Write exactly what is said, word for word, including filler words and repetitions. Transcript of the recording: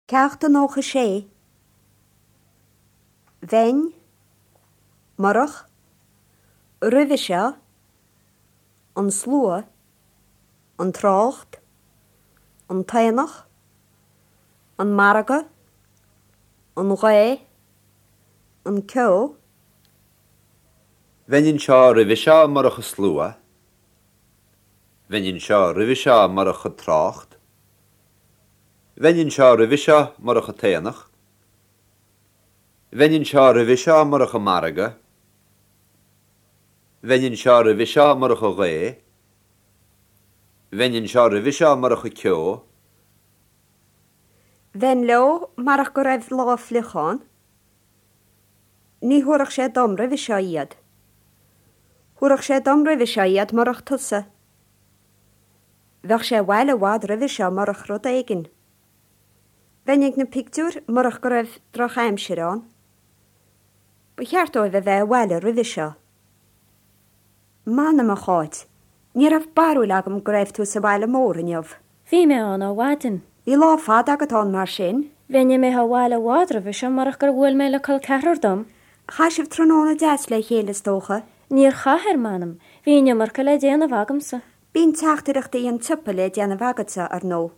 Ceacht a nócha sé. Bheinn, murach, roimhe seo, an slua, an trácht, an t-aonach, an margadh, an ghaoth, an ceo. Bheinn anseo roimhe seo murach an slua. Bheinn anseo roimhe seo murach an trácht. Bheinn anseo roimhe seo murach an t-aonach. Bheinn anseo roimhe seo murach an margadh. Bheinn anseo roimhe seo murach an ghaoth. Bheinn anseo roimhe seo murach an ceo. Bheinn leo murach go raibh lá fliuch ann. Ní thabharfadh sé dom roimhe seo iad. Thabharfadh sé dom roimhe seo iad murach tusa. Bheadh sé abhaile i bhfad roimhe seo murach rud éigin. Bheinn ag na pictiúir murach go raibh drochaimsir ann. Ba cheart dóibh a bheith abhaile roimhe seo. M'anam a Cháit, ní raibh barúil agam go raibh tú sa bhaile mór inniu. Bhí mé ann ó mhaidin. Bhí lá fada agat ann mar sin. Bheinn imithe abhaile i bhfad roimhe seo murach gur bhuail mé le col ceathrar dom. Chaith sibh tráthnóna deas le chéile is dócha. Níor chaith ar m'anam, bhí an iomarca le déanamh agamsa. Bíonn teachtaireachtaí an tsiopa le déanamh agatsa ar ndóigh.